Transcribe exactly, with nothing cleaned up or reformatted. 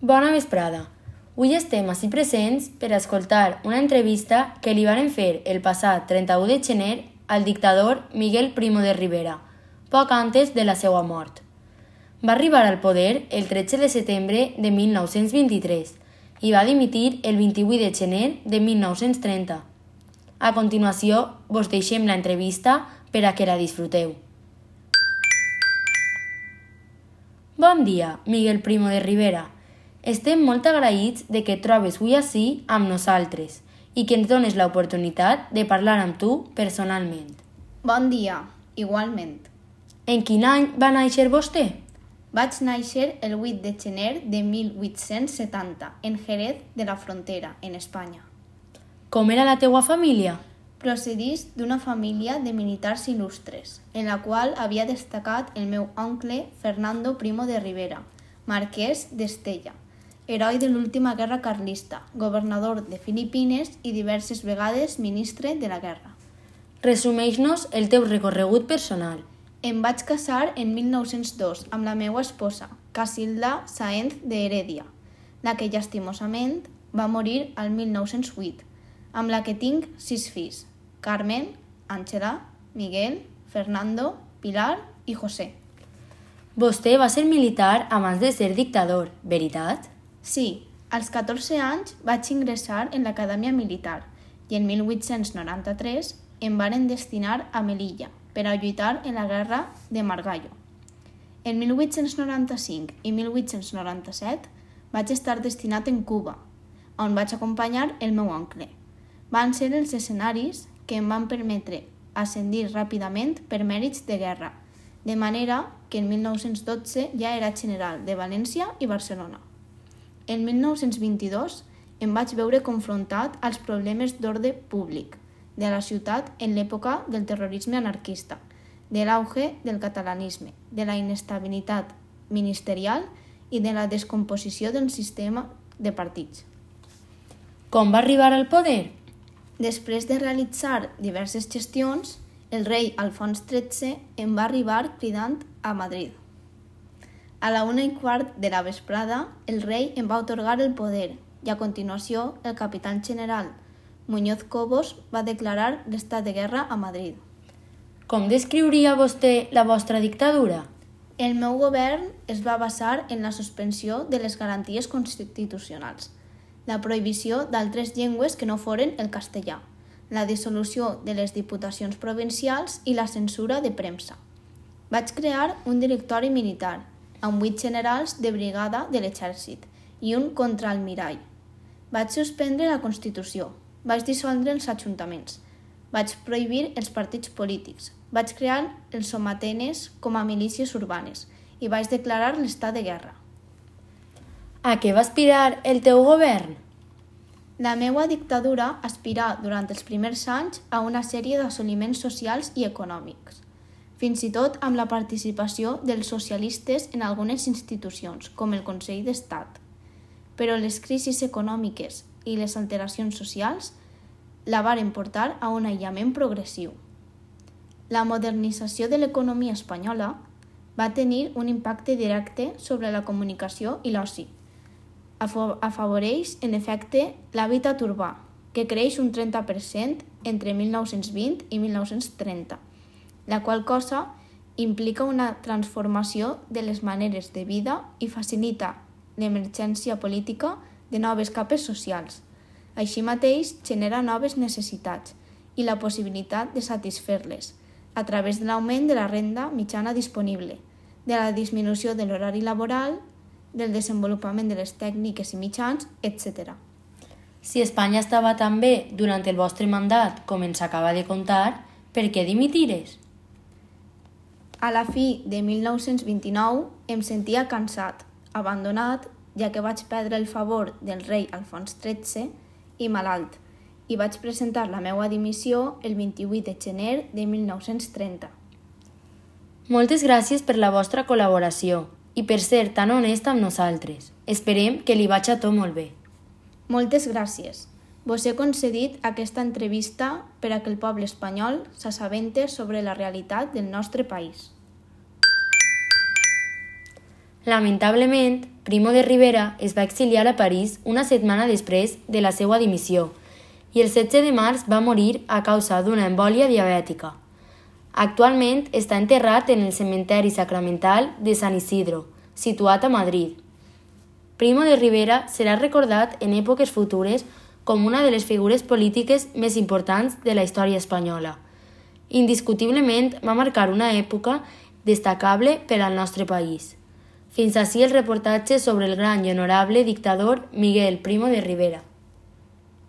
Bona vesprada. Avui estem ací presents per a escoltar una entrevista que li varen fer el passat trenta-u de gener al dictador Miguel Primo de Rivera, poc antes de la seva mort. Va arribar al poder el tretze de setembre de mil nou-cents vint-i-tres i va dimitir el vint-i-vuit de gener de mil nou-cents trenta. A continuació, vos deixem la entrevista per a que la disfruteu. Bon dia, Miguel Primo de Rivera. Estem molt agraïts de que et trobes avui ací amb nosaltres i que ens dones l'oportunitat de parlar amb tu personalment. Bon dia, igualment. En quin any va néixer vostè? Vaig néixer el vuit de gener de mil vuit-cents setanta en Jerez de la Frontera, en Espanya. Com era la teua família? Procedís d'una família de militars il·lustres, en la qual havia destacat el meu oncle Fernando Primo de Rivera, marquès d'Estella, heroi de l'última guerra carlista, governador de Filipines i diverses vegades ministre de la guerra. Resumeix-nos el teu recorregut personal. Em vaig casar en mil nou-cents dos amb la meva esposa, Casilda Sáenz de Heredia, la que llastimosament va morir al mil nou-cents vuit, amb la que tinc sis fills, Carmen, Àngela, Miguel, Fernando, Pilar i José. Vostè va ser militar abans de ser dictador, veritat? Sí, als catorze anys vaig ingressar en l'acadèmia militar i en mil vuit-cents noranta-tres em varen destinar a Melilla per a lluitar en la guerra de Margallo. En mil vuit-cents noranta-cinc i mil vuit-cents noranta-set vaig estar destinat en Cuba, on vaig acompanyar el meu oncle. Van ser els escenaris que em van permetre ascendir ràpidament per mèrits de guerra, de manera que en mil nou-cents dotze ja era general de València i Barcelona. En mil nou-cents vint-i-dos em vaig veure confrontat als problemes d'ordre públic de la ciutat en l'època del terrorisme anarquista, de l'auge del catalanisme, de la inestabilitat ministerial i de la descomposició del sistema de partits. Com va arribar al poder? Després de realitzar diverses gestions, el rei Alfons tretze em va arribar cridant a Madrid. A la una i quart de la vesprada, el rei em va atorgar el poder i a continuació el capitán general Muñoz Cobos va declarar l'estat de guerra a Madrid. Com descriuria vostè la vostra dictadura? El meu govern es va basar en la suspensió de les garanties constitucionals, la prohibició d'altres llengües que no foren el castellà, la dissolució de les diputacions provincials i la censura de premsa. Vaig crear un directori militar, amb vuit generals de brigada de l'exèrcit i un contraalmirall. Vaig suspendre la Constitució, vaig dissoldre els ajuntaments, vaig prohibir els partits polítics, vaig crear els somatenes com a milícies urbanes i vaig declarar l'estat de guerra. A què va aspirar el teu govern? La meva dictadura aspirà durant els primers anys a una sèrie d'assoliments socials i econòmics, fins i tot amb la participació dels socialistes en algunes institucions, com el Consell d'Estat. Però les crisis econòmiques i les alteracions socials la varen portar a un aïllament progressiu. La modernització de l'economia espanyola va tenir un impacte directe sobre la comunicació i l'oci. Afavoreix, en efecte, l'hàbitat urbà, que creix un trenta per cent entre mil nou-cents vint i mil nou-cents trenta, la qual cosa implica una transformació de les maneres de vida i facilita l'emergència política de noves capes socials. Així mateix, genera noves necessitats i la possibilitat de satisfer-les a través de l'augment de la renda mitjana disponible, de la disminució de l'horari laboral, del desenvolupament de les tècniques i mitjans, etcètera. Si Espanya estava tan bé durant el vostre mandat com ens acaba de contar, per què dimitires? A la fi de mil nou-cents vint-i-nou em sentia cansat, abandonat, ja que vaig perdre el favor del rei Alfons tretze i malalt, i vaig presentar la meva dimissió el vint-i-vuit de gener de mil nou-cents trenta. Moltes gràcies per la vostra col·laboració i per ser tan honest amb nosaltres. Esperem que li vagi tot molt bé. Moltes gràcies. Vos he concedit aquesta entrevista per a que el poble espanyol s'assabente sobre la realitat del nostre país. Lamentablement, Primo de Rivera es va exiliar a París una setmana després de la seva dimissió i el setze de març va morir a causa d'una embòlia diabètica. Actualment està enterrat en el cementeri sacramental de San Isidro, situat a Madrid. Primo de Rivera serà recordat en èpoques futures com una de les figures polítiques més importants de la història espanyola. Indiscutiblement va marcar una època destacable per al nostre país. Fins ací el reportatge sobre el gran i honorable dictador Miguel Primo de Rivera.